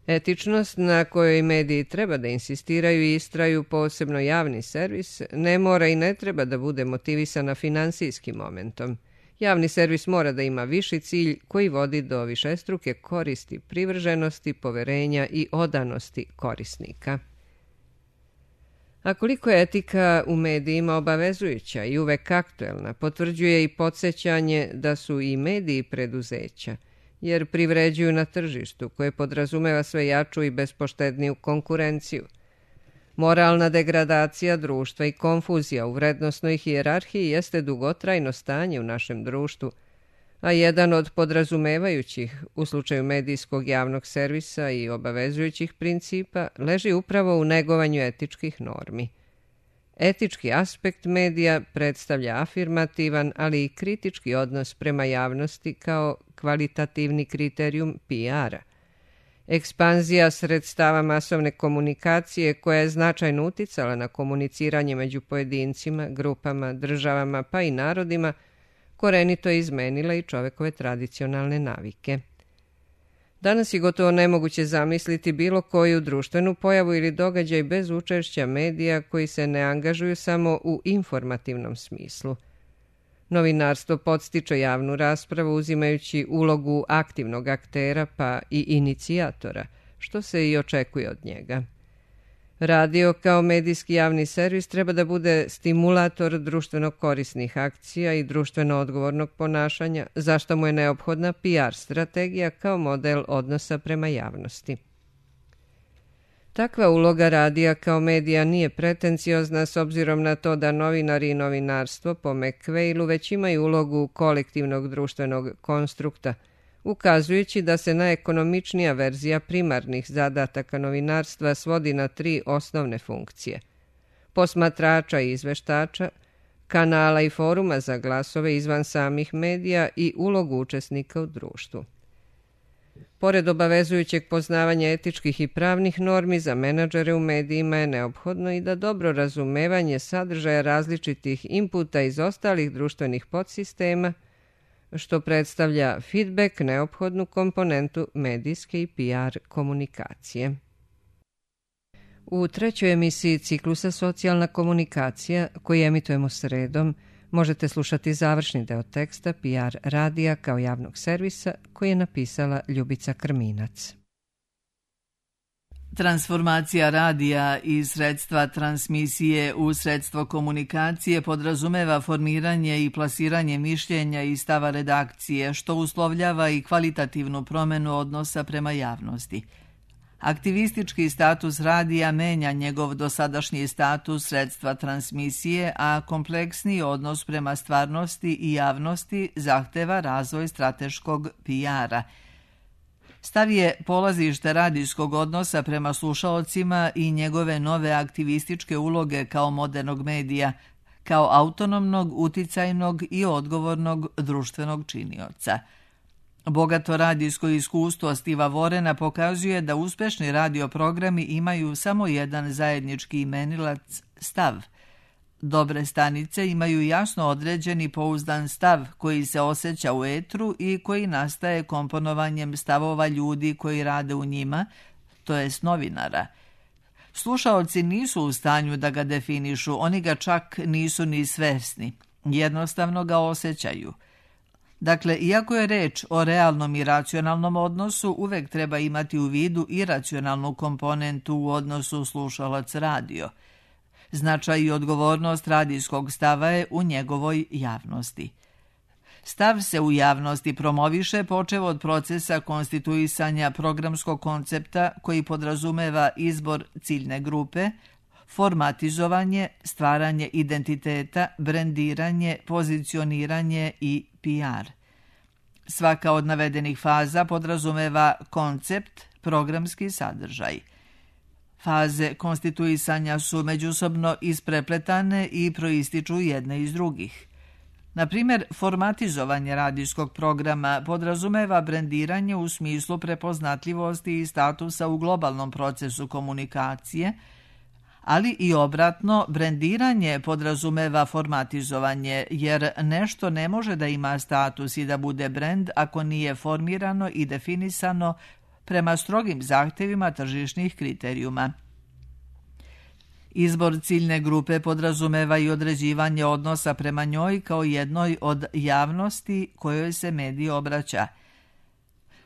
Etičnost na kojoj mediji treba da insistiraju i istraju posebno javni servis ne mora i ne treba da bude motivisana finansijskim momentom. Javni servis mora da ima viši cilj koji vodi do višestruke koristi, privrženosti, poverenja i odanosti korisnika. A koliko je etika u medijima obavezujuća i uvek aktuelna, potvrđuje i podsjećanje da su i mediji preduzeća, jer privređuju na tržištu koje podrazumeva sve jaču i bespoštedniju konkurenciju. Moralna degradacija društva i konfuzija u vrednosnoj hijerarhiji jeste dugotrajno stanje u našem društvu, a jedan od podrazumevajućih u slučaju medijskog javnog servisa i obavezujućih principa leži upravo u negovanju etičkih normi. Etički aspekt medija predstavlja afirmativan, ali i kritički odnos prema javnosti kao kvalitativni kriterijum P R-a. Ekspanzija sredstava masovne komunikacije koja je značajno uticala na komuniciranje među pojedincima, grupama, državama pa i narodima korenito je izmenila i čovekove tradicionalne navike. Danas je gotovo nemoguće zamisliti bilo koju društvenu pojavu ili događaj bez učešća medija koji se ne angažuju samo u informativnom smislu. Novinarstvo podstiče javnu raspravu uzimajući ulogu aktivnog aktera pa i inicijatora, što se i očekuje od njega. Radio kao medijski javni servis treba da bude stimulator društveno korisnih akcija i društveno odgovornog ponašanja, zašto mu je neophodna P R strategija kao model odnosa prema javnosti. Takva uloga radija kao medija nije pretenciozna s obzirom na to da novinari i novinarstvo po McVeilu već imaju ulogu kolektivnog društvenog konstrukta, ukazujući da se najekonomičnija verzija primarnih zadataka novinarstva svodi na tri osnovne funkcije: posmatrača i izveštača, kanala i foruma za glasove izvan samih medija i ulogu učesnika u društvu. Pored obavezujućeg poznavanja etičkih i pravnih normi, za menadžere u medijima je neophodno i da dobro razumevanje sadržaja različitih inputa iz ostalih društvenih podsistema, što predstavlja feedback, neophodnu komponentu medijske i P R komunikacije. U trećoj emisiji ciklusa Socijalna komunikacija, koji emitujemo sredom, možete slušati završni deo teksta P R radija kao javnog servisa koji je napisala Ljubica Krminac. Transformacija radija iz sredstva transmisije u sredstvo komunikacije podrazumeva formiranje i plasiranje mišljenja i stava redakcije, što uslovljava i kvalitativnu promenu odnosa prema javnosti. Aktivistički status radija menja njegov dosadašnji status sredstva transmisije, a kompleksniji odnos prema stvarnosti i javnosti zahteva razvoj strateškog P R-a. Stav je polazište radijskog odnosa prema slušaocima i njegove nove aktivističke uloge kao modernog medija, kao autonomnog, uticajnog i odgovornog društvenog činioca. Bogato radijsko iskustvo Stiva Vorena pokazuje da uspešni radioprogrami imaju samo jedan zajednički imenilac – stav. Dobre stanice imaju jasno određeni pouzdan stav koji se osjeća u etru i koji nastaje komponovanjem stavova ljudi koji rade u njima, to jest novinara. Slušaoci nisu u stanju da ga definišu, oni ga čak nisu ni svesni, jednostavno ga osjećaju. Dakle, iako je reč o realnom i racionalnom odnosu, uvek treba imati u vidu i racionalnu komponentu u odnosu slušalac-radio. Značaj i odgovornost radijskog stava je u njegovoj javnosti. Stav se u javnosti promoviše počev od procesa konstituisanja programskog koncepta koji podrazumeva izbor ciljne grupe, formatizovanje, stvaranje identiteta, brendiranje, pozicioniranje i P R. Svaka od navedenih faza podrazumeva koncept, programski sadržaj. Faze konstituisanja su međusobno isprepletane i proističu jedne iz drugih. Na primjer, formatizovanje radijskog programa podrazumeva brendiranje u smislu prepoznatljivosti i statusa u globalnom procesu komunikacije, ali i obratno, brendiranje podrazumeva formatizovanje, jer nešto ne može da ima status i da bude brend ako nije formirano i definisano prema strogim zahtevima tržišnih kriterijuma. Izbor ciljne grupe podrazumeva i određivanje odnosa prema njoj kao jednoj od javnosti kojoj se medij obraća.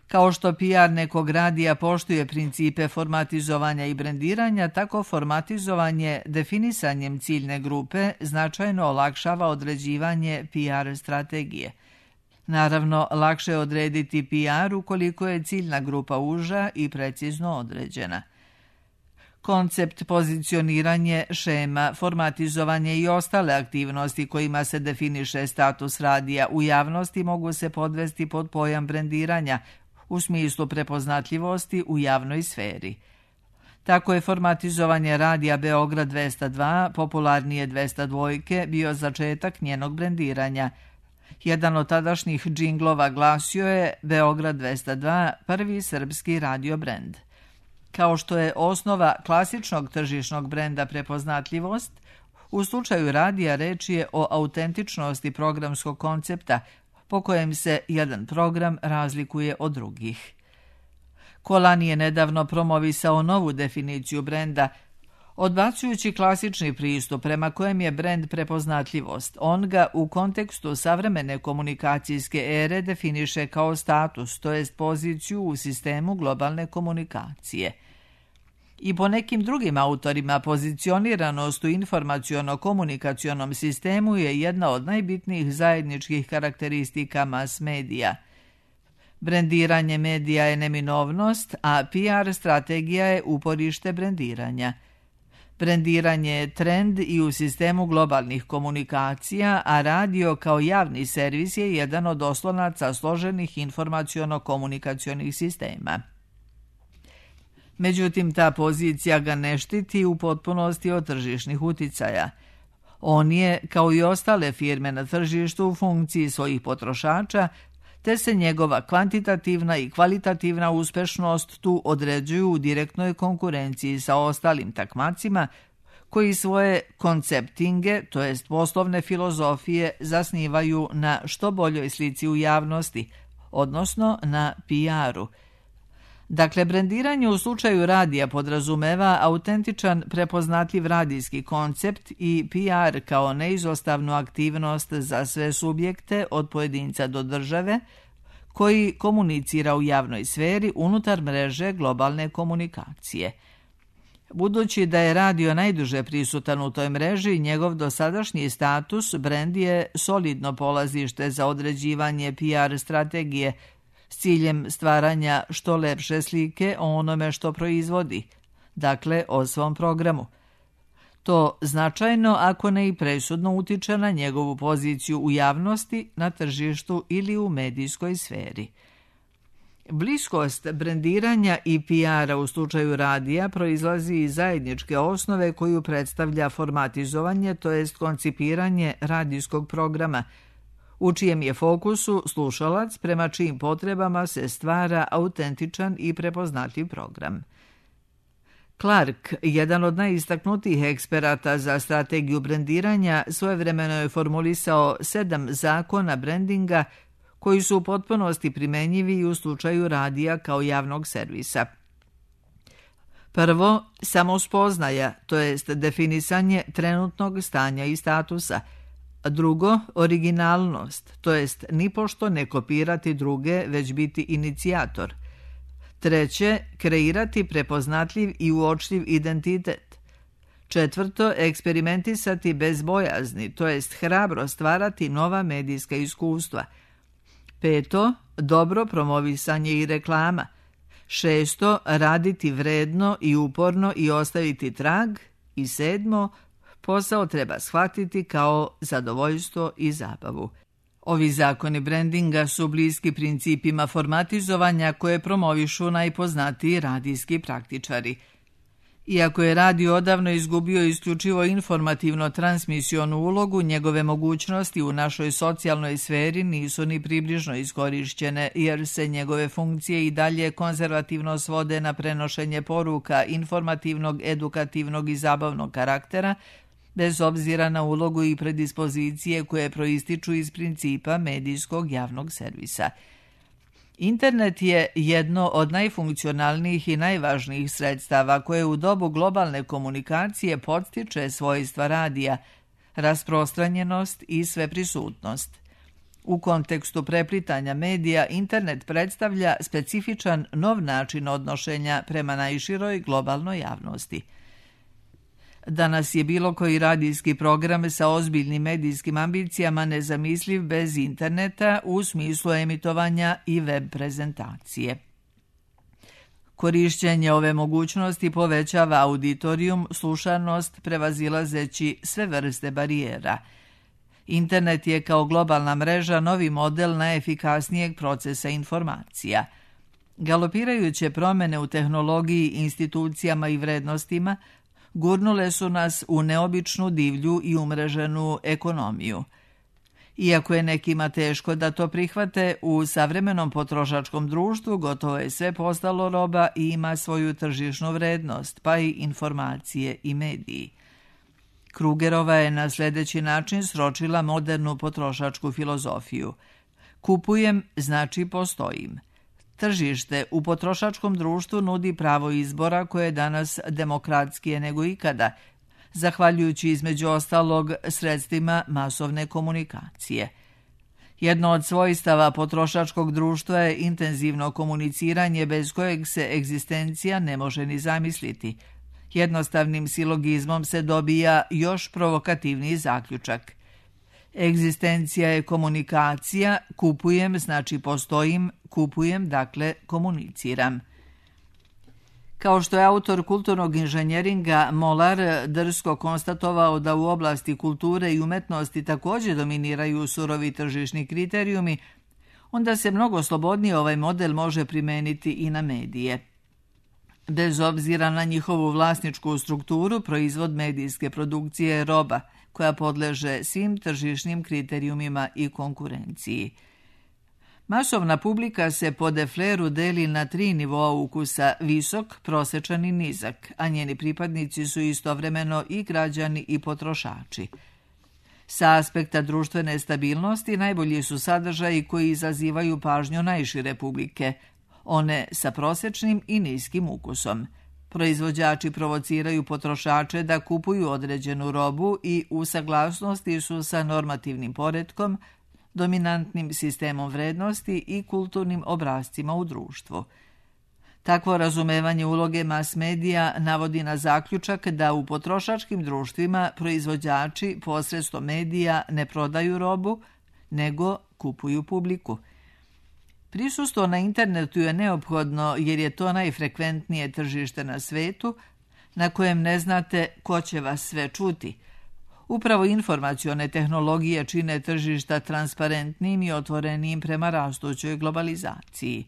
Kao što P R nekog radija poštuje principe formatizovanja i brendiranja, tako formatizovanje definisanjem ciljne grupe značajno olakšava određivanje P R strategije. Naravno, lakše je odrediti P R ukoliko je ciljna grupa uža i precizno određena. Koncept, pozicioniranje, šema, formatizovanje i ostale aktivnosti kojima se definiše status radija u javnosti mogu se podvesti pod pojam brendiranja u smislu prepoznatljivosti u javnoj sferi. Tako je formatizovanje radija Beograd dvesta dva, popularnije dvesta dva, bio začetak njenog brendiranja. Jedan od tadašnjih džinglova glasio je Beograd dvesta dva, prvi srpski radio brend. Kao što je osnova klasičnog tržišnog brenda prepoznatljivost, U slučaju radija reč je o autentičnosti programskog koncepta po kojem se jedan program razlikuje od drugih. Kolani je nedavno promovisao novu definiciju brenda, odbacujući klasični pristup prema kojem je brend prepoznatljivost. On ga u kontekstu savremene komunikacijske ere definiše kao status, to jest poziciju u sistemu globalne komunikacije. I po nekim drugim autorima pozicioniranost u informaciono-komunikacionom sistemu je jedna od najbitnijih zajedničkih karakteristika mass medija. Brendiranje medija je neminovnost, a P R strategija je uporište brendiranja. Brendiranje je trend i u sistemu globalnih komunikacija, a radio kao javni servis je jedan od oslonaca složenih informaciono-komunikacionih sistema. Međutim, ta pozicija ga ne štiti u potpunosti od tržišnih uticaja. On je, kao i ostale firme na tržištu, u funkciji svojih potrošača, te se njegova kvantitativna i kvalitativna uspešnost tu određuju u direktnoj konkurenciji sa ostalim takmacima koji svoje konceptinge, to jest poslovne filozofije, zasnivaju na što boljoj slici u javnosti, odnosno na P R-u. Dakle, brendiranje u slučaju radija podrazumeva autentičan, prepoznatljiv radijski koncept i P R kao neizostavnu aktivnost za sve subjekte od pojedinca do države koji komunicira u javnoj sferi unutar mreže globalne komunikacije. Budući da je radio najduže prisutan u toj mreži, njegov dosadašnji status brend je solidno polazište za određivanje P R strategije s ciljem stvaranja što lepše slike o onome što proizvodi, dakle o svom programu. To značajno, ako ne i presudno, utiče na njegovu poziciju u javnosti, na tržištu ili u medijskoj sferi. Bliskost brendiranja i P R-a u slučaju radija proizlazi iz zajedničke osnove koju predstavlja formatizovanje, to jest koncipiranje radijskog programa, u čijem je fokusu slušalac prema čijim potrebama se stvara autentičan i prepoznatljiv program. Clark, jedan od najistaknutijih eksperata za strategiju brendiranja, svojevremeno je formulisao sedam zakona brendinga koji su u potpunosti primenjivi i u slučaju radija kao javnog servisa. Prvo, samospoznaja, to jest definisanje trenutnog stanja i statusa. Drugo, originalnost, to jest nipošto ne kopirati druge, već biti inicijator. Treće, kreirati prepoznatljiv i uočljiv identitet. Četvrto, eksperimentisati bez bojazni, to jest hrabro stvarati nova medijska iskustva. Peto, dobro promovisanje i reklama. Šesto, raditi vredno i uporno i ostaviti trag. I sedmo, posao treba shvatiti kao zadovoljstvo i zabavu. Ovi zakoni brandinga su bliski principima formatizovanja koje promovišu najpoznatiji radijski praktičari. Iako je radio odavno izgubio isključivo informativno-transmisionu ulogu, njegove mogućnosti u našoj socijalnoj sferi nisu ni približno iskorišćene, jer se njegove funkcije i dalje konzervativno svode na prenošenje poruka informativnog, edukativnog i zabavnog karaktera, bez obzira na ulogu i predispozicije koje proističu iz principa medijskog javnog servisa. Internet je jedno od najfunkcionalnijih i najvažnijih sredstava koje u dobu globalne komunikacije podstiče svojstva radija, rasprostranjenost i sveprisutnost. U kontekstu preplitanja medija, internet predstavlja specifičan nov način odnošenja prema najširoj globalnoj javnosti. Danas je bilo koji radijski program sa ozbiljnim medijskim ambicijama nezamisliv bez interneta u smislu emitovanja i web prezentacije. Korišćenje ove mogućnosti povećava auditorijum, slušanost, prevazilazeći sve vrste barijera. Internet je kao globalna mreža novi model najefikasnijeg procesa informacija. Galopirajuće promene u tehnologiji, institucijama i vrednostima gurnule su nas u neobičnu, divlju i umreženu ekonomiju. Iako je nekima teško da to prihvate, u savremenom potrošačkom društvu gotovo je sve postalo roba i ima svoju tržišnu vrednost, pa i informacije i mediji. Krugerova je na sljedeći način sročila modernu potrošačku filozofiju. Kupujem znači postojim. Tržište u potrošačkom društvu nudi pravo izbora koje je danas demokratskije nego ikada, zahvaljujući između ostalog sredstvima masovne komunikacije. Jedno od svojstava potrošačkog društva je intenzivno komuniciranje bez kojeg se egzistencija ne može ni zamisliti. Jednostavnim silogizmom se dobija još provokativniji zaključak. Egzistencija je komunikacija, kupujem znači postojim, kupujem dakle komuniciram. Kao što je autor kulturnog inženjeringa Molar drsko konstatovao da u oblasti kulture i umetnosti također dominiraju surovi tržišni kriterijumi, onda se mnogo slobodnije ovaj model može primeniti i na medije. Bez obzira na njihovu vlasničku strukturu, proizvod medijske produkcije je roba koja podleže svim tržišnim kriterijumima i konkurenciji. Masovna publika se po Defleru deli na tri nivoa ukusa, visok, prosječan i nizak, a njeni pripadnici su istovremeno i građani i potrošači. Sa aspekta društvene stabilnosti najbolji su sadržaji koji izazivaju pažnju najšire publike, one sa prosječnim i niskim ukusom. Proizvođači provociraju potrošače da kupuju određenu robu i u saglasnosti su sa normativnim poretkom, dominantnim sistemom vrednosti i kulturnim obrascima u društvu. Takvo razumevanje uloge mas medija navodi na zaključak da u potrošačkim društvima proizvođači posredstvom medija ne prodaju robu, nego kupuju publiku. Prisustvo na internetu je neophodno jer je to najfrekventnije tržište na svetu na kojem ne znate ko će vas sve čuti. Upravo informacione tehnologije čine tržišta transparentnim i otvorenim prema rastućoj globalizaciji.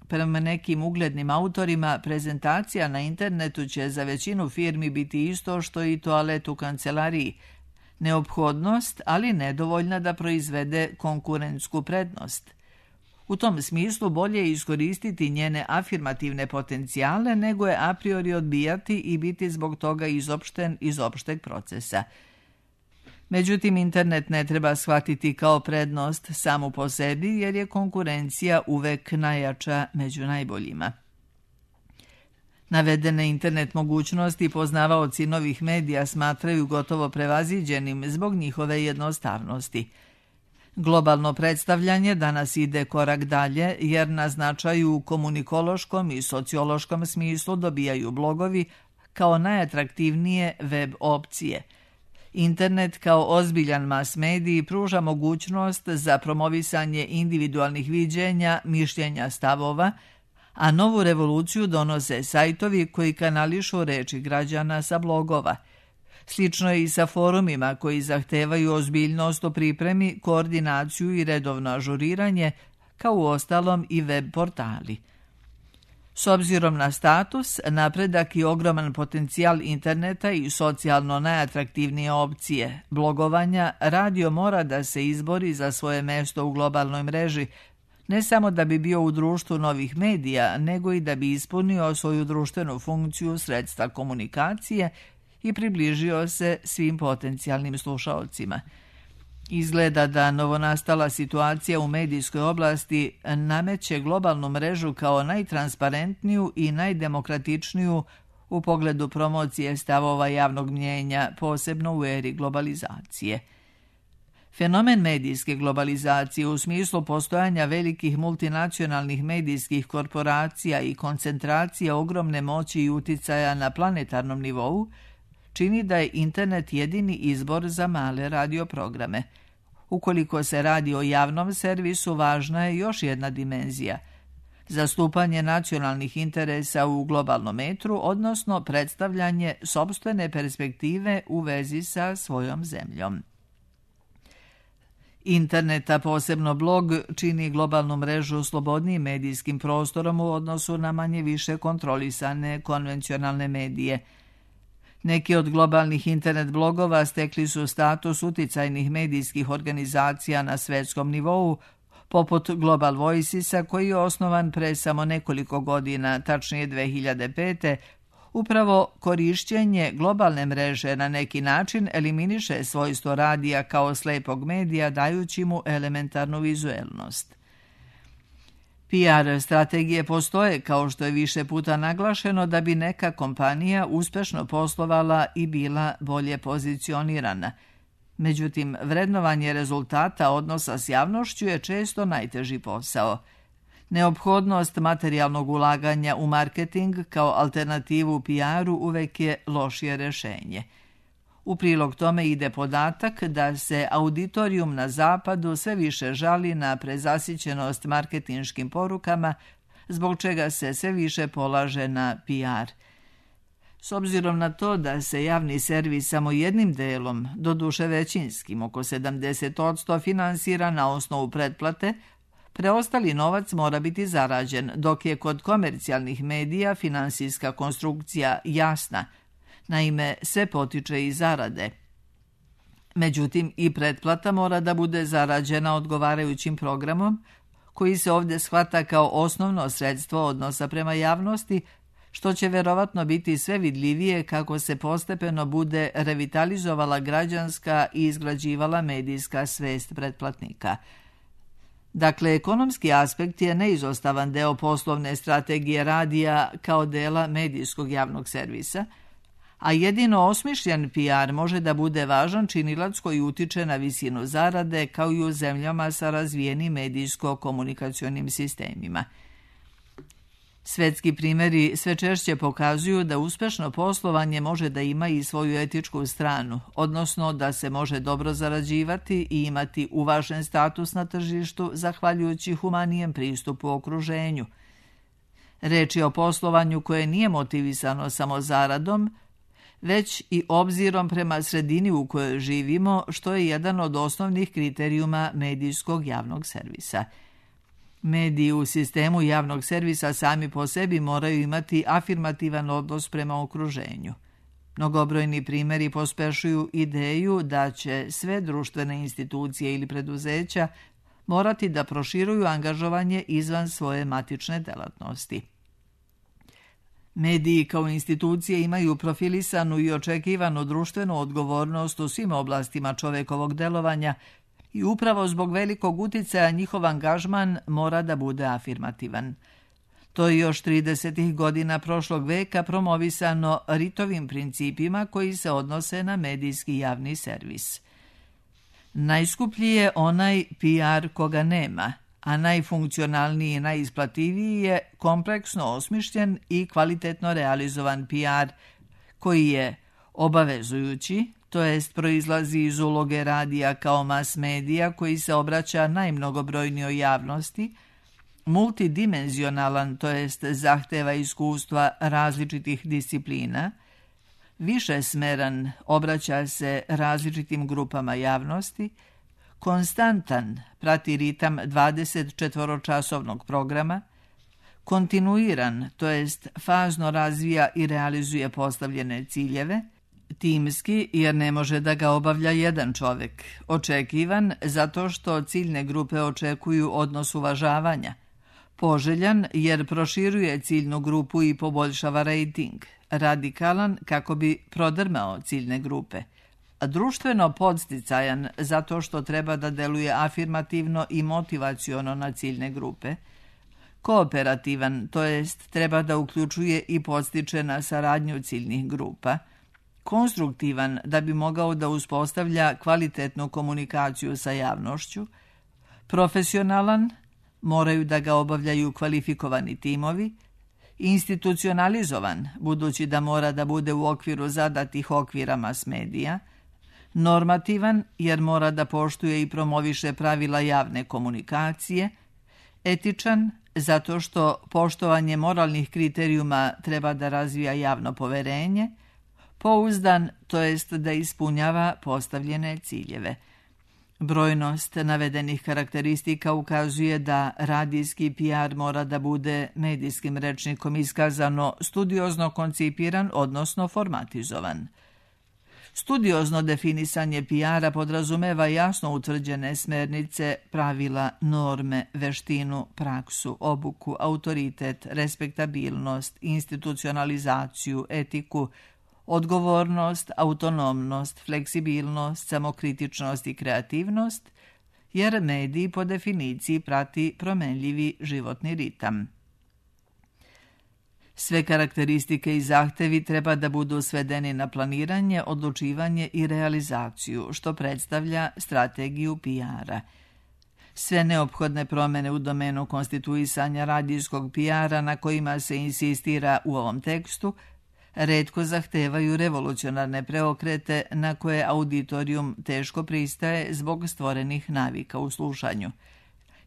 Prema nekim uglednim autorima, prezentacija na internetu će za većinu firmi biti isto što i toalet u kancelariji. Neophodnost, ali nedovoljna da proizvede konkurentsku prednost. U tom smislu bolje je iskoristiti njene afirmativne potencijale nego je a priori odbijati i biti zbog toga izopšten iz opšteg procesa. Međutim, internet ne treba shvatiti kao prednost samu po sebi jer je konkurencija uvek najjača među najboljima. Navedene internet mogućnosti poznavaoci novih medija smatraju gotovo prevaziđenim zbog njihove jednostavnosti. Globalno predstavljanje danas ide korak dalje jer na značaju u komunikološkom i sociološkom smislu dobijaju blogovi kao najatraktivnije web opcije. Internet kao ozbiljan mas medij pruža mogućnost za promovisanje individualnih viđenja, mišljenja, stavova, a novu revoluciju donose sajtovi koji kanališu reči građana sa blogova. Slično je i sa forumima koji zahtevaju ozbiljnost u pripremi, koordinaciju i redovno ažuriranje, kao u ostalom i web portali. S obzirom na status, napredak i ogroman potencijal interneta i socijalno najatraktivnije opcije blogovanja, radio mora da se izbori za svoje mesto u globalnoj mreži, ne samo da bi bio u društvu novih medija, nego i da bi ispunio svoju društvenu funkciju sredstva komunikacije i približio se svim potencijalnim slušaocima. Izgleda da novonastala situacija u medijskoj oblasti nameće globalnu mrežu kao najtransparentniju i najdemokratičniju u pogledu promocije stavova javnog mnjenja, posebno u eri globalizacije. Fenomen medijske globalizacije u smislu postojanja velikih multinacionalnih medijskih korporacija i koncentracija ogromne moći i uticaja na planetarnom nivou čini da je internet jedini izbor za male radioprograme. Ukoliko se radi o javnom servisu, važna je još jedna dimenzija – zastupanje nacionalnih interesa u globalnom metru, odnosno predstavljanje sopstvene perspektive u vezi sa svojom zemljom. Internet, a posebno blog, čini globalnu mrežu slobodnijim medijskim prostorom u odnosu na manje više kontrolisane konvencionalne medije. Neki od globalnih internet blogova stekli su status uticajnih medijskih organizacija na svetskom nivou, poput Global Voicesa, koji je osnovan pre samo nekoliko godina, tačnije dve hiljade pete, Upravo korišćenje globalne mreže na neki način eliminiše svojstvo radija kao slepog medija, dajući mu elementarnu vizuelnost. P R strategije postoje, kao što je više puta naglašeno, da bi neka kompanija uspešno poslovala i bila bolje pozicionirana. Međutim, vrednovanje rezultata odnosa s javnošću je često najteži posao. Neophodnost materijalnog ulaganja u marketing kao alternativu P R-u uvek je lošije rešenje. U prilog tome ide podatak da se auditorijum na zapadu sve više žali na prezasićenost marketinškim porukama, zbog čega se sve više polaže na P R. S obzirom na to da se javni servis samo jednim delom, doduše većinskim, oko sedamdeset posto finansira na osnovu pretplate, preostali novac mora biti zarađen, dok je kod komercijalnih medija finansijska konstrukcija jasna. Naime, sve potiče iz zarade. Međutim, i pretplata mora da bude zarađena odgovarajućim programom, koji se ovdje shvata kao osnovno sredstvo odnosa prema javnosti, što će verovatno biti sve vidljivije kako se postepeno bude revitalizovala građanska i izgrađivala medijska svest pretplatnika. Dakle, ekonomski aspekt je neizostavan deo poslovne strategije radija kao dela medijskog javnog servisa, a jedino osmišljen P R može da bude važan činilac koji utiče na visinu zarade kao i u zemljama sa razvijenim medijsko-komunikacionim sistemima. Svetski primjeri sve češće pokazuju da uspešno poslovanje može da ima i svoju etičku stranu, odnosno da se može dobro zarađivati i imati uvažen status na tržištu zahvaljujući humanijem pristupu okruženju. Reč je o poslovanju koje nije motivisano samo zaradom, već i obzirom prema sredini u kojoj živimo, što je jedan od osnovnih kriterijuma medijskog javnog servisa. Mediji u sistemu javnog servisa sami po sebi moraju imati afirmativan odnos prema okruženju. Mnogobrojni primjeri pospešuju ideju da će sve društvene institucije ili preduzeća morati da proširuju angažovanje izvan svoje matične delatnosti. Mediji kao institucije imaju profilisanu i očekivanu društvenu odgovornost u svim oblastima čovekovog delovanja i upravo zbog velikog uticaja njihov angažman mora da bude afirmativan. To je još tridesetih godina prošlog veka promovisano Ritovim principima koji se odnose na medijski javni servis. Najskuplji je onaj P R koga nema, a najfunkcionalniji i najisplativiji je kompleksno osmišljen i kvalitetno realizovan P R koji je obavezujući, to jest proizlazi iz uloge radija kao mas medija koji se obraća najmnogobrojnijoj javnosti, multidimenzionalan, to jest zahteva iskustva različitih disciplina, višesmeran, obraća se različitim grupama javnosti, konstantan, prati ritam dvadesetčetvoročasovnog programa, kontinuiran, to jest fazno razvija i realizuje postavljene ciljeve, timski jer ne može da ga obavlja jedan čovjek, očekivan zato što ciljne grupe očekuju odnos uvažavanja, poželjan jer proširuje ciljnu grupu i poboljšava rejting, radikalan kako bi prodrmao ciljne grupe, a društveno podsticajan zato što treba da deluje afirmativno i motivaciono na ciljne grupe, kooperativan, to jest treba da uključuje i podstiče na saradnju ciljnih grupa, konstruktivan da bi mogao da uspostavlja kvalitetnu komunikaciju sa javnošću, profesionalan, moraju da ga obavljaju kvalifikovani timovi, institucionalizovan, budući da mora da bude u okviru zadatih okvira mas medija, normativan, jer mora da poštuje i promoviše pravila javne komunikacije, etičan, zato što poštovanje moralnih kriterijuma treba da razvija javno poverenje, pouzdan, to jest da ispunjava postavljene ciljeve. Brojnost navedenih karakteristika ukazuje da radijski P R mora da bude medijskim rečnikom iskazano studiozno koncipiran, odnosno formatizovan. Studiozno definisanje P R-a podrazumeva jasno utvrđene smernice, pravila, norme, veštinu, praksu, obuku, autoritet, respektabilnost, institucionalizaciju, etiku, odgovornost, autonomnost, fleksibilnost, samokritičnost i kreativnost, jer medij po definiciji prati promenljivi životni ritam. Sve karakteristike i zahtevi treba da budu svedeni na planiranje, odlučivanje i realizaciju, što predstavlja strategiju P R-a. Sve neophodne promene u domenu konstituisanja radijskog P R-a na kojima se insistira u ovom tekstu retko zahtevaju revolucionarne preokrete na koje auditorijum teško pristaje zbog stvorenih navika u slušanju.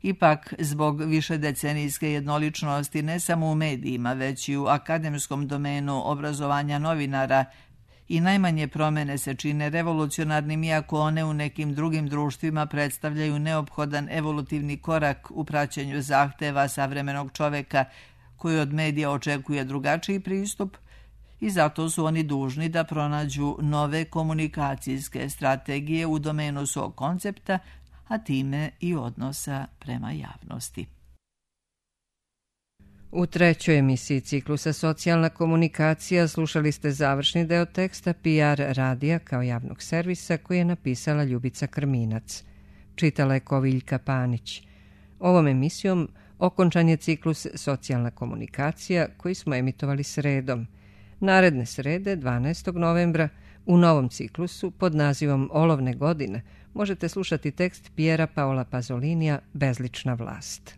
Ipak, zbog višedecenijske jednoličnosti ne samo u medijima, već i u akademskom domenu obrazovanja novinara, i najmanje promene se čine revolucionarnim, iako one u nekim drugim društvima predstavljaju neophodan evolutivni korak u praćenju zahteva savremenog čoveka koji od medija očekuje drugačiji pristup, i zato su oni dužni da pronađu nove komunikacijske strategije u domenu svog koncepta, a time i odnosa prema javnosti. U trećoj emisiji ciklusa Socijalna komunikacija slušali ste završni deo teksta P R radija kao javnog servisa koji je napisala Ljubica Krminac. Čitala je Koviljka Panić. Ovom emisijom okončan je ciklus Socijalna komunikacija koji smo emitovali sredom. Naredne srede, dvanaestog novembra, u novom ciklusu pod nazivom Olovne godine možete slušati tekst Pjera Paola Pazolinija Bezlična vlast.